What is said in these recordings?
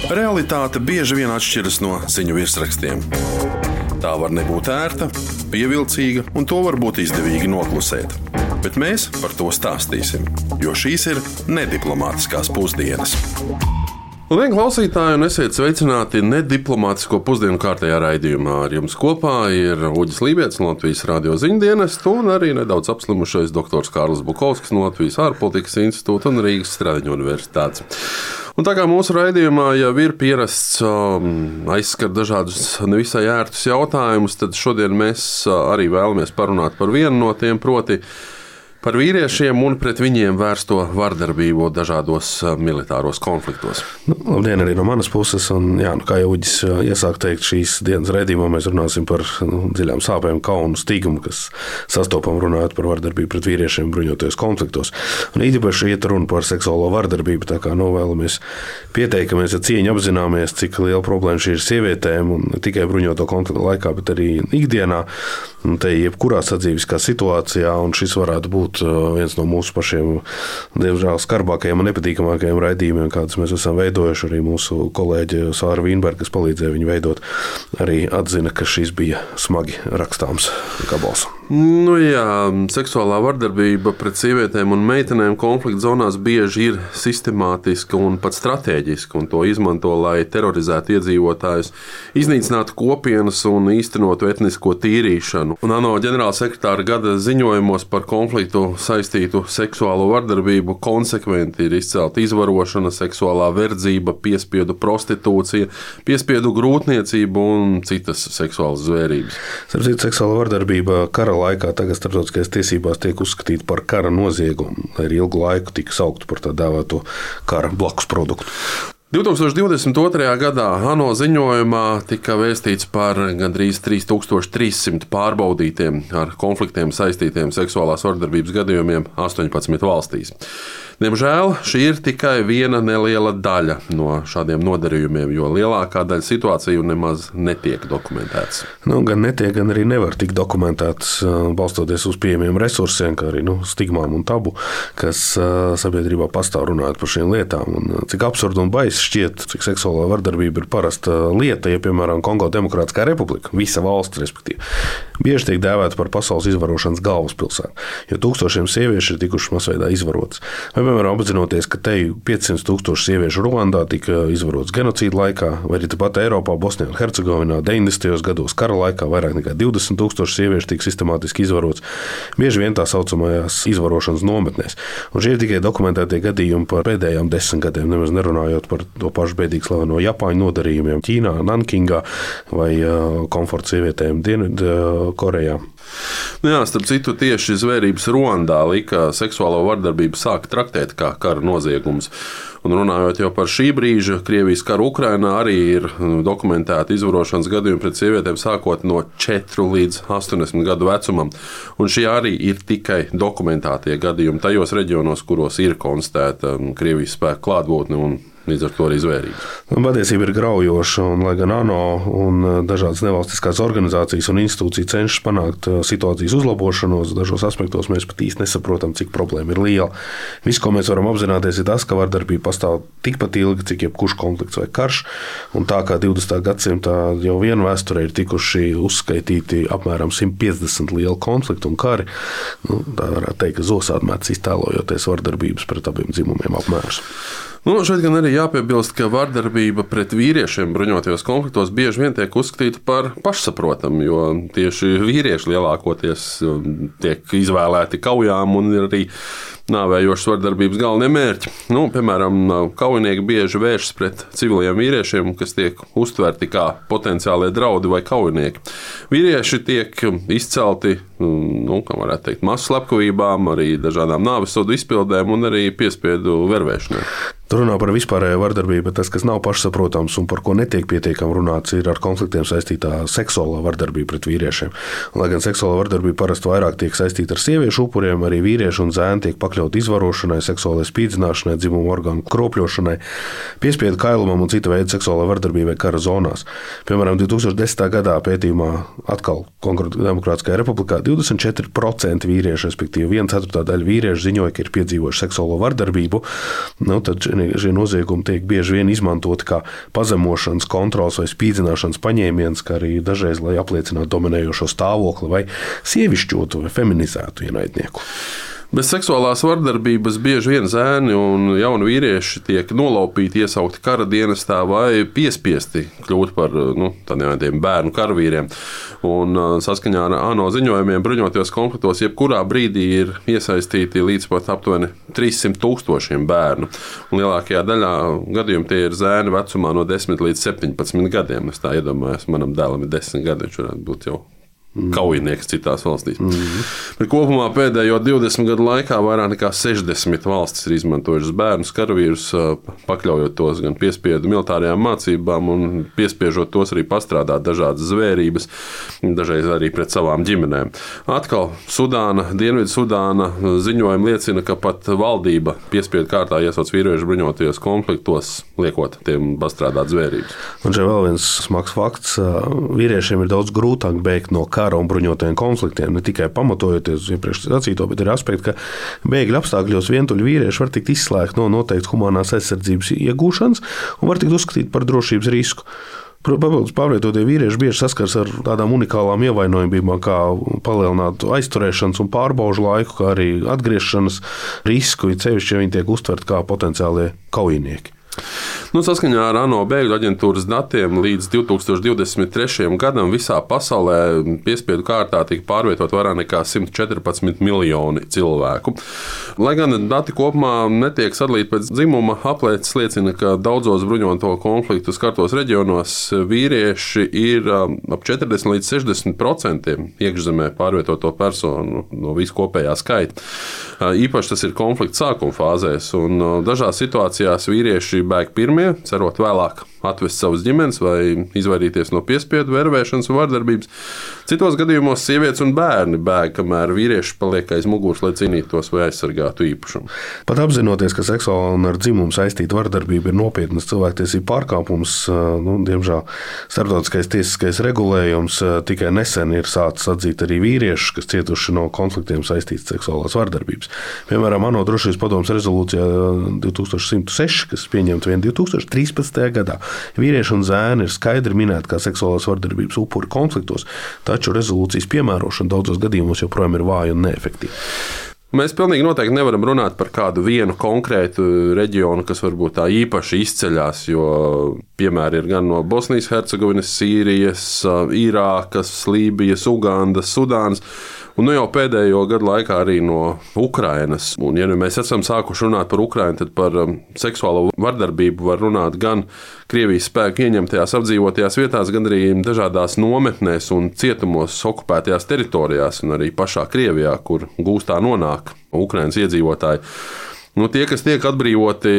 Realitāte bieži vien atšķiras no ziņu virsrakstiem. Tā var nebūt ērta, pievilcīga, un to var būt izdevīgi noklusēt. Bet mēs par to stāstīsim, jo šīs ir nediplomātiskās pusdienas. Labdien, klausītāji, un esiet sveicināti nediplomātisko pusdienu kārtējā raidījumā. Ar jums kopā ir Uģis Lībietis no Latvijas radio ziņdienestu un arī nedaudz apslimušais doktors Kārlis Bukovskis no Latvijas ārpolitikas institūta un Rīgas Stradiņu universitātes. Un tā kā mūsu raidījumā jau ir pierasts aizskart dažādus nevisai ērtus jautājumus, tad šodien mēs arī vēlamies parunāt par vienu no tiem, proti par vīriešiem un pret viņiem vērsto vardarbību dažādos militāros konfliktos. Labdien arī no manas puses. Un, kā jau Uģis iesāk teikt, šīs dienas raidījumā mēs runāsim par dziļām sāpēm, kaunu, stigmu, kas sastopam runājot par vardarbību pret vīriešiem bruņotajos konfliktos. Un īpaši iet runa par seksuālo vardarbību, tā kā vēlamies pieteikt, ka mēs ar cieņu apzināmies, cik liela problēma šī ir sievietēm un ne tikai bruņoto konfliktu laikā, bet arī ikdienā. Un te jebkurā sadzīviskā situācijā, un šis varētu būt viens no mūsu pašiem, diemžēl, skarbākajiem un nepatīkamākajiem raidījumiem, kādus mēs esam veidojuši. Arī mūsu kolēģe Sāra Vīnberga, kas palīdzēja viņu veidot, arī atzina, ka šis bija smagi rakstāms gabals. Seksuālā vardarbība pret sievietēm un meitenēm konflikta zonās bieži ir sistemātiska un pat stratēģiska, un to izmanto, lai terorizētu iedzīvotājus, iznīcinātu kopienas un īstenotu etnisko tīrīšanu. Un ANO ģenerālsekretāra gada ziņojumos par konfliktu saistītu seksuālo vardarbību konsekventi ir izcelta izvarošana, seksuālā verdzība, piespiedu prostitūcija, piespiedu grūtniecība un citas seksuālas zvērības. Seksuāla vardarbība kara laikā tagad starptautiskajās tiesībās tiek uzskatīta par kara noziegumu, lai arī ilgu laiku tika saukta par tā dēvēto kara blakus produktu. 2022. gadā ANO ziņojumā tika vēstīts par gandrīz 3300 pārbaudītiem ar konfliktiem saistītiem seksuālās vardarbības gadījumiem 18 valstīs. Diemžēl šī ir tikai viena neliela daļa no šādiem nodarījumiem, jo lielākā daļa situāciju nemaz netiek dokumentētas. Gan netiek, gan arī nevar tikt dokumentētas, balstoties uz pieejamiem resursiem, kā arī stigmām un tabu, kas sabiedrībā pastāv runājot par šīm lietām. Un cik absurdi un baisi šķiet, cik seksuālā vardarbība ir parasta lieta, ja, piemēram, Kongo Demokrātiskā republika, visa valsts, respektīvi, bieži tiek dēvēta par pasaules izvarošanas galvaspilsētu, jo tūkstošiem sieviešu ir tikušas masveidā izvarotas. Vai, piemēram, apzinoties, ka te 500 000 sieviešu Ruandā tika izvarotas genocīda laikā, vai arī tepat Eiropā, Bosnijā un Hercegovinā 90. gados kara laikā vairāk nekā 20 000 sieviešu tika sistemātiski izvarotas, bieži vien tā saucamajās izvarošanas nometnēs. Un šie ir tikai dokumentētie gadījumi par pēdējām 10 gadiem, nemaz nerunājot par to pašu bēdīgi slaveno Japāņu nodarījumiem Ķīnā, Nankingā vai komforta sievietēm Dienvidkorejā. Starp citu, tieši zvērības Ruandā lika seksuālo vardarbību sākt traktēt kā kara noziegums. Un runājot jau par šī brīža Krievijas karu Ukrainā, arī ir dokumentēti izvarošanas gadījumi pret sievietēm sākot no 4 līdz 80 gadu vecumam. Un šie arī ir tikai dokumentētie gadījumi tajos reģionos, kuros ir konstatēta Krievijas spēku klātbūtne un līdz ar to arī zvērības. Patiesība ir graujoša, un lai gan ANO un dažādas nevalstiskās organizācijas un institūcijas cenšas panākt situācijas uzlabošanos, dažos aspektos mēs pat īsti nesaprotam, cik problēma ir liela. Viss, ko mēs varam apzināties, ir tas, ka vardarbība pastāv tikpat ilgi, cik jebkurš konflikts vai karš, un tā kā 20. gadsimtā jau vien vēsturē ir tikuši uzskaitīti apmēram 150 lieli konflikti un kari, tā varētu teikt, ka zosādmēts iztēlojoties vardarbības pret abiem dzimumiem apmērus. Šeit gan arī jāpiebilst, ka vardarbība pret vīriešiem bruņotajos konfliktos bieži vien tiek uzskatīta par pašsaprotamu, jo tieši vīrieši lielākoties tiek izvēlēti kaujām un ir arī nāvējošas vardarbības galvenie mērķi. Piemēram, kaujinieki bieži vēršas pret civiliem vīriešiem, kas tiek uztverti kā potenciālie draudi vai kaujinieki. Vīrieši tiek izcelti, kā varētu teikt, masu slepkavībām, arī dažādām nāvessodu izpildēm un arī piespiedu vervēšanai. Tur runā par vispārējo vardarbību, bet tas, kas nav pašsaprotams un par ko netiek pietiekami runāts, ir ar konfliktiem saistītā seksuālā vardarbība pret vīriešiem. Un, lai gan seksuālā vardarbība parasti vairāk tiek saistīta ar sieviešu upuriem, arī vīrieši un zēni tiek pakļauti izvarošanai, seksuālai spīdzināšanai, dzimumu orgānu kropļošanai, piespiedu kailumam un cita veida seksuālai vardarbībai kara zonās. Piemēram, 2010. gadā pētījumā atkal Kongo Demokrātiskajā republikā 24% vīrieši, respektīvi 1/4 daļa vīriešu ziņoja, ka ir piedzīvojuši seksuālo vardarbību. Tad šie noziegumi tiek bieži vien izmantoti kā pazemošanas, kontrols vai spīdzināšanas paņēmiens, kā arī dažreiz, lai apliecinātu dominējošo stāvokli vai sievišķotu vai feminizētu ienaidnieku. Bez seksuālās vardarbības bieži vien zēni un jauni vīrieši tiek nolaupīti, iesaukti kara dienestā vai piespiesti kļūt par tādiem bērnu karavīriem. Un saskaņā ar ANO ziņojumiem bruņotajos konfliktos jebkurā brīdī ir iesaistīti līdz pat aptuveni 300,000 bērnu. Un lielākajā daļā gadījumu tie ir zēni vecumā no 10 līdz 17 gadiem. Es tā iedomājos, manam dēlam ir 10 gadi, viņš varētu būt jau kaujinieks citās valstīs. Bet kopumā pēdējo 20 gadu laikā vairāk nekā 60 valstis ir izmantojušas bērnus karavīrus, pakļaujot tos gan piespiedu militārajām mācībām un piespiežot tos arī pastrādāt dažādas zvērības, dažreiz arī pret savām ģimenēm. Atkal Sudāna, Dienvidu Sudāna ziņojumi liecina, ka pat valdība piespiedu kārtā iesauc vīriešu bruņotajos konfliktos, liekot tiem pastrādāt zvērības. Un šeit vēl viens smags fakts. Vīriešiem ir daudz grūtāk bēgt no kara un bruņotajiem konfliktiem, ne tikai pamatojoties uz iepriekš sacīto, bet ir aspekti, ka bēgļu apstākļos vientuļi vīrieši var tikt izslēgti no noteiktas humanās aizsardzības iegūšanas un var tikt uzskatīt par drošības risku. Papildus pārvietotie vīrieši bieži saskars ar tādām unikālām ievainojumībām, kā palielinātu aizturēšanas un pārbaužu laiku, kā arī atgriešanas risku, cevišķi, ja viņi tiek uztverti kā potenciālie kaujinieki. Saskaņā ar ANO bēgļu aģentūras datiem līdz 2023. gadam visā pasaulē piespiedu kārtā tika pārvietot vairāk nekā 114 miljoni cilvēku. Lai gan dati kopumā netiek sadalīti pēc dzimuma, aplēses liecina, ka daudzos bruņoto konfliktu skartos reģionos vīrieši ir ap 40 līdz 60% iekšzemē pārvietoto personu no viskopējā skaita. Īpaši tas ir konflikta sākuma fāzēs, un dažās situācijās vīrieši bēg pirmie, cerot vēlāk atvest savas ģimenes vai izvairīties no piespiedu, vervēšanas un vardarbības. Citos gadījumos sievietes un bērni bēg, kamēr vīrieši paliek aiz muguras, lai cīnītos vai aizsargātu īpašumu. Pat apzinoties, ka seksuāla un ar dzimumu saistīta vardarbība ir nopietnas cilvēktiesību pārkāpums, diemžēl starptautiskais tiesiskais regulējums tikai nesen ir sācis atzīt arī vīriešus, kas cietuši no konfliktiem saistītas seksuālās vardarbības. Piemēram, ANO drošības padomes rezolūcijā 2106, kas pieņemta vien 2013. gadā. Vīrieši un zēni ir skaidri minēti kā seksuālās vardarbības upuri konfliktos, taču rezolūcijas piemērošana daudzos gadījumos joprojām ir vāja un neefektīva. Mēs pilnīgi noteikti nevaram runāt par kādu vienu konkrētu reģionu, kas varbūt tā īpaši izceļās, jo piemēri ir gan no Bosnijas, Hercegovinas, Sīrijas, Irākas, Lībijas, Ugandas, Sudānas, un jau pēdējo gadu laikā arī no Ukrainas. Un, ja mēs esam sākuši runāt par Ukrainu, tad par seksuālo vardarbību var runāt gan Krievijas spēku ieņemtajās apdzīvotajās vietās, gan arī dažādās nometnēs un cietumos okupētajās teritorijās, un arī pašā Krievijā, kur gūstā nonāk Ukrainas iedzīvotāji. Tie, kas tiek atbrīvoti,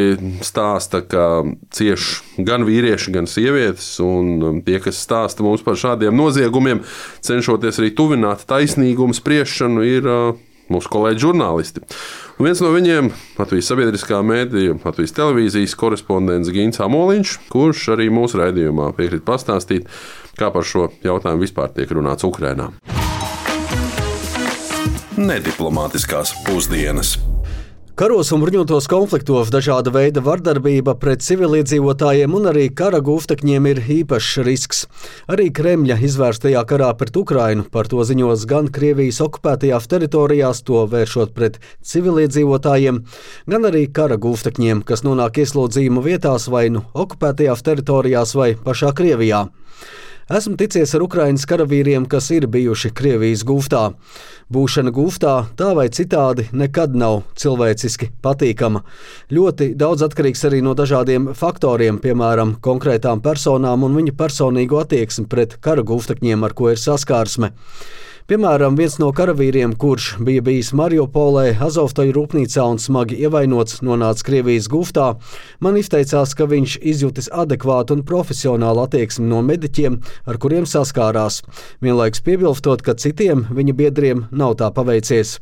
stāsta, ka cieš gan vīrieši, gan sievietes, un tie, kas stāsta mums par šādiem noziegumiem, cenšoties arī tuvināt taisnīgumu spriešanu, ir mūsu kolēģi žurnālisti. Un viens no viņiem - Latvijas sabiedriskā mēdīja, Latvijas televīzijas korespondents Gins Amoliņš, kurš arī mūsu raidījumā piekrīt pastāstīt, kā par šo jautājumu vispār tiek runāts Ukrainā. Nediplomātiskās pusdienas. Karos un bruņotos konfliktos dažāda veida vardarbība pret civiliedzīvotājiem un arī kara gūstekņiem ir īpašs risks. Arī Kremļa izvērstajā karā pret Ukrainu par to ziņos gan Krievijas okupētajās teritorijās, to vēršot pret civiliedzīvotājiem, gan arī kara gūstekņiem, kas nonāk ieslodzījuma vietās vai nu okupētajās teritorijās vai pašā Krievijā. Esmu ticies ar Ukrainas karavīriem, kas ir bijuši Krievijas gūstā. Būšana gūstā tā vai citādi nekad nav cilvēciski patīkama. Ļoti daudz atkarīgs arī no dažādiem faktoriem, piemēram, konkrētām personām un viņu personīgo attieksmi pret kara gūstekņiem, ar ko ir saskārsme. Piemēram, viens no karavīriem, kurš bija bijis Mariupolē, Azovstoju rūpnīcā un smagi ievainots, nonāca Krievijas gūstā, man izteicās, ka viņš izjutis adekvātu un profesionālu attieksmi no mediķiem, ar kuriem saskārās, vienlaikus piebilstot, ka citiem viņa biedriem nav tā paveicies.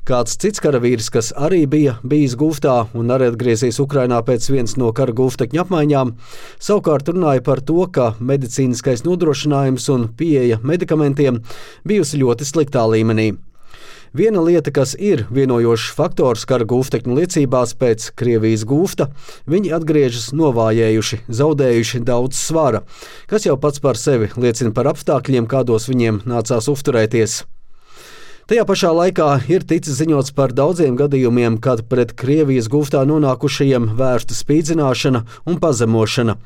Kāds cits karavīrs, kas arī bija bijis Guftā un arī atgriezies Ukrainā pēc vienas no kara guftekņu apmaiņām, savukārt runāja par to, ka medicīniskais nodrošinājums un pieeja medikamentiem bijusi ļoti sliktā līmenī. Viena lieta, kas ir vienojošs faktors kara guftekņu liecībās pēc Krievijas gufta, viņi atgriežas novājējuši, zaudējuši daudz svara, kas jau pats par sevi liecina par apstākļiem, kādos viņiem nācās uzturēties. Tajā pašā laikā ir ticis ziņots par daudziem gadījumiem, kad pret Krievijas guftā nonākušajiem vērsta spīdzināšana un pazemošana.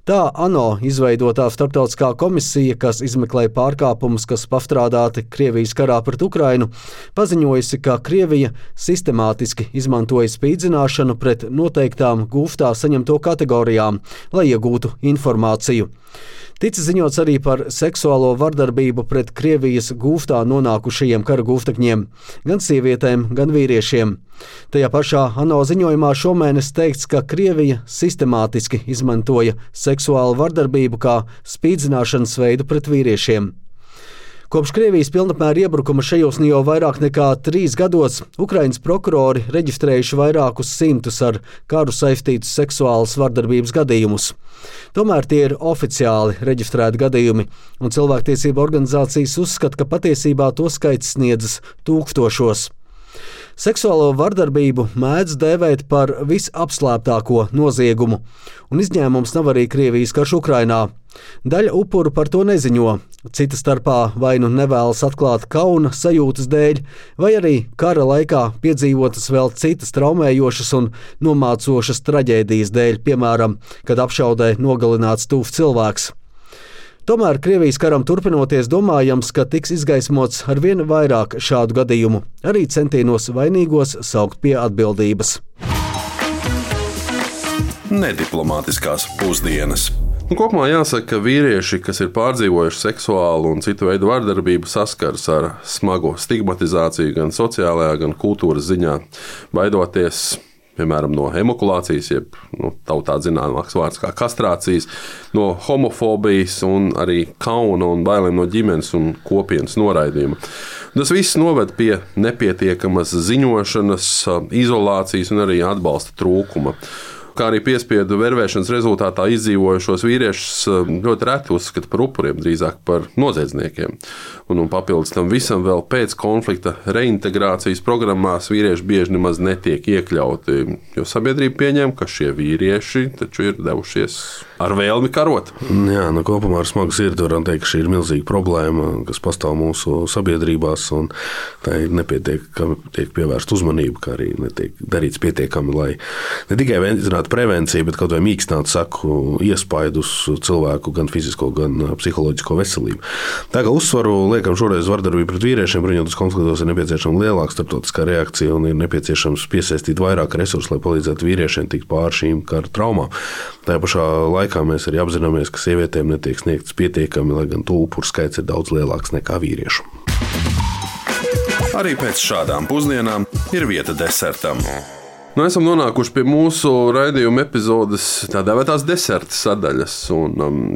Tā ANO izveidotā starptautiskā komisija, kas izmeklē pārkāpumus, kas pastrādāti Krievijas karā pret Ukrainu, paziņojusi, ka Krievija sistemātiski izmantoja spīdzināšanu pret noteiktām guftā saņemto kategorijām, lai iegūtu informāciju. Ticis ziņots arī par seksuālo vardarbību pret Krievijas guftā nonākušajiem kara guftekņiem, gan sievietēm, gan vīriešiem. Tajā pašā ANO ziņojumā šomēnes teikts, ka Krievija sistemātiski izmantoja seksuālu vardarbību kā spīdzināšanas veidu pret vīriešiem. Kopš Krievijas pilnapmēra iebrukuma šajos jau vairāk nekā 3 gados Ukrainas prokurori reģistrējuši vairākus simtus ar karu saistītus seksuālas vardarbības gadījumus. Tomēr tie ir oficiāli reģistrēti gadījumi, un cilvēktiesība organizācijas uzskata, ka patiesībā to skaits sniedzas tūkstošos. Seksuālo vardarbību mēdz dēvēt par visapslēptāko noziegumu, un izņēmums nav arī Krievijas karš Ukrainā. Daļa upuru par to neziņo, cita starpā vai nu nevēlas atklāt kauna sajūtas dēļ, vai arī kara laikā piedzīvotas vēl citas traumējošas un nomācošas traģēdijas dēļ, piemēram, kad apšaudē nogalināts tuvs cilvēks. Tomēr Krievijas karam turpinoties domājams, ka tiks izgaismots arvien vairāk šādu gadījumu, arī centienos vainīgos saukt pie atbildības. Nediplomātiskās pusdienas. Kopumā jāsaka, ka vīrieši, kas ir pārdzīvojuši seksuālu un citu veidu vardarbību, saskaras ar smagu stigmatizāciju gan sociālajā, gan kultūras ziņā, baidoties piemēram no hemokulācijas, jeb tautā zināmāks vārds kā kastrācijas, no homofobijas un arī kauna un bailēm no ģimenes un kopienas noraidījuma. Tas viss noved pie nepietiekamas ziņošanas, izolācijas un arī atbalsta trūkuma. Kā arī piespiedu vervēšanas rezultātā izdzīvojušos vīriešus ļoti reti uzskata par upuriem, drīzāk par noziedzniekiem. Un papildus tam visam vēl pēc konflikta reintegrācijas programmās vīrieši bieži nemaz netiek iekļauti, jo sabiedrība pieņem, ka šie vīrieši taču ir devušies ar vēlmi karot. Jā, kopumā ar smagu sirdi varam teikt, ka šī ir milzīga problēma, kas pastāv mūsu sabiedrībās, un tā ir nepietiekami tiek pievērsta uzmanība, kā arī netiek darīts pietiekami, lai ne tikai veicinātu prevenciju, bet kaut vai mīkstinātu saku iespaidu uz cilvēku gan fizisko, gan psiholoģisko veselību. Tā kā uzsvaru liekam šoreiz vardarbību pret vīriešiem, bruņotos konfliktos ir nepieciešama lielāka starptautiskā reakcija un ir nepieciešams piesaistīt vairāk resursu, lai palīdzētu vīriešiem tikt pāri šīm kara traumām. Tajā pašā laikā mēs arī apzināmies, ka sievietēm netiek sniegts pietiekami, lai gan to upuru skaits ir daudz lielāks nekā vīriešu. Arī pēc šādām pusdienām ir vieta desertam. Esam nonākuši pie mūsu raidījuma epizodes tā dēvētās deserta sadaļas.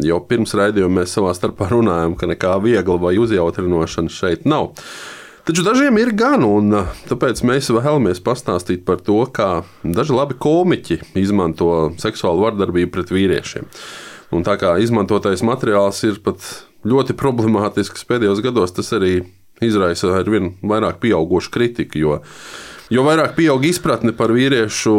Jau pirms raidījuma mēs savā starpā runājam, ka nekā viegla vai uzjautrinošana šeit nav. Taču dažiem ir gan, un tāpēc mēs vēlamies pastāstīt par to, kā daži labi komiķi izmanto seksuālu vardarbību pret vīriešiem. Un tā kā izmantotais materiāls ir pat ļoti problemātisks pēdējos gados, tas arī izraisa arvien vairāk pieaugušu kritiku, jo vairāk pieaug izpratne par vīriešu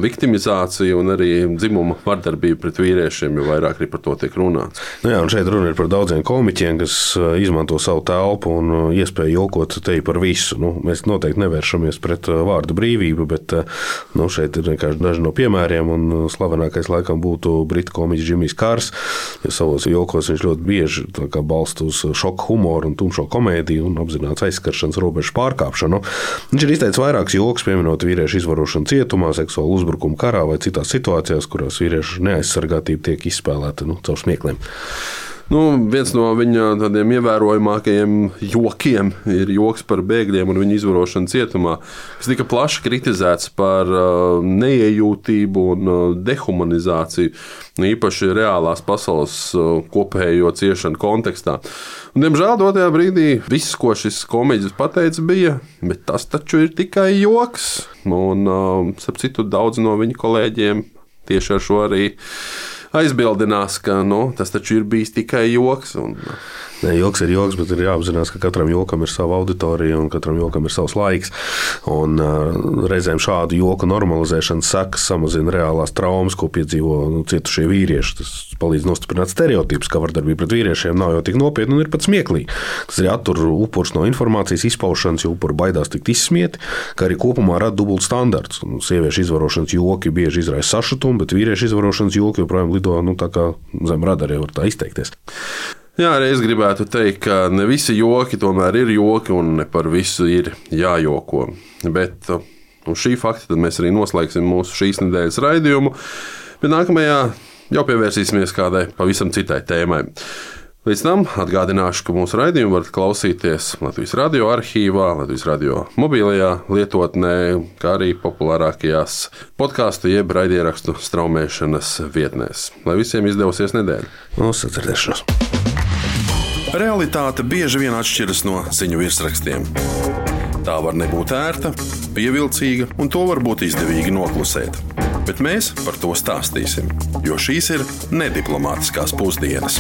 viktimizāciju un arī dzimuma vardarbību pret vīriešiem, jo vairāk arī par to tiek runāts. Jā, un šeit runa ir par daudziem komiķiem, kas izmanto savu telpu un iespēju jokot te par visu. Mēs noteikti nevēršamies pret vārdu brīvību, bet šeit ir vienkārši daži no piemēriem, un slavenākais laikam būtu britu komiķis Džimijs Kārs, jo savos jokos viņš ļoti bieži balsta uz šoku humoru un tumšo komēdiju un apzināts aizskaršanas robežu pārkāpšanu. Viņš ir izteicis vairākus joks, pieminot vīriešu izvarošanu cietumā, seksuālu uzbrukumu karā vai citās situācijās, kurās vīriešu neaizsargātība tiek izspēlēta caur smiekliem. Viens no viņa tādiem ievērojamākajiem jokiem ir joks par bēgļiem un viņu izvarošanu cietumā, kas tika plaši kritizēts par neiejūtību un dehumanizāciju, īpaši reālās pasaules kopējo ciešanu kontekstā. Diemžēl dotajā brīdī viss, ko šis komiķis pateica, bija, bet tas taču ir tikai joks. Un, starp citu, daudz no viņa kolēģiem tieši ar šo arī aizbildinās, ka tas taču ir bijis tikai joks. Ne, joks ir joks, bet ir jāapzinās, ka katram jokam ir sava auditorija un katram jokam ir savs laiks. Un reizēm šādu joku normalizēšanas sekas samazina reālās traumas, ko piedzīvo cietušie vīrieši. Tas palīdz nostiprināt stereotipus, ka vardarbība pret vīriešiem nav jau tik nopietna un ir pat smieklīga. Tas arī attur upurus no informācijas izpaušanas, jo upuri baidās tikt izsmieti, kā arī kopumā rada dubult standarts. Sieviešu izvarošanas joki bieži izraisa sašutumu, bet vīriešu izvarošanas joki joprojām lido tā kā zem radara, var tā izteikties. Jā, arī es gribētu teikt, ka ne visi joki tomēr ir joki un ne par visu ir jājoko. Bet uz šī fakta tad mēs arī noslēgsim mūsu šīs nedēļas raidījumu, bet nākamajā jau pievērsīsimies kādai pavisam citai tēmai. Līdz tam atgādināšu, ka mūsu raidījumu varat klausīties Latvijas radio arhīvā, Latvijas radio mobilajā lietotnē, kā arī populārākajās podkāstu jeb raidierakstu straumēšanas vietnēs. Lai visiem izdevusies nedēļa. Uz sadzirdēšanos! Realitāte bieži vien atšķiras no ziņu virsrakstiem. Tā var nebūt ērta, pievilcīga, un to var būt izdevīgi noklusēt. Bet mēs par to stāstīsim, jo šīs ir nediplomātiskās pusdienas.